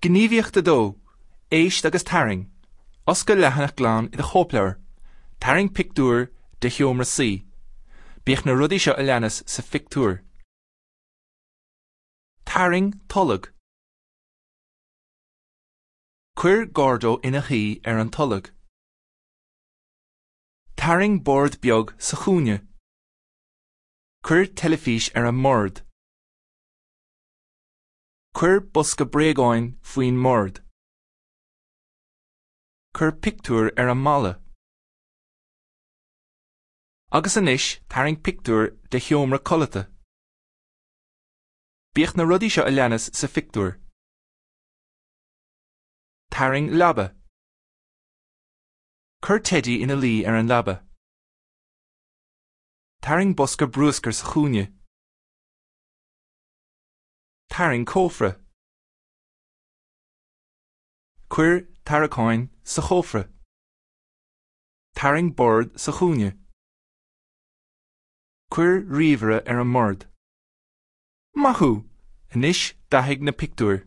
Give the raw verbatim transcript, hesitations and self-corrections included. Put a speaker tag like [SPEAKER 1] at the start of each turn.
[SPEAKER 1] Gníomhaíocht a dó, éist agus tarraing. Oscail leathanach glan i do chóipleabhar. Tarraing pictiúr de sheomra suí. Bíodh na rudaí seo a leanas sa phictiúr. Tarraing tolg. Cuir Gordo ina shuí ar an tolg. Tarraing bord beag sa chúinne. Cuir teilifís ar an mbord. Cuir bosca bréagáin faoin mbord. Cuir pictiúr ar an mballa. Agus anois tarraing pictiúr de sheomra codlata. Bíodh na rudaí seo a leanas sa phictiúr. Tarraing leaba. Cuir Teidí ina luí ar an leaba. Tarraing bosca bruscair sa chúinne. Tarraing cófra. Cuir tarraiceáin sa chófra. Tarraing bord sa chúinne. Cuir ríomhaire ar an mbord. Maith thú! Anois dathaigh na pictiúir.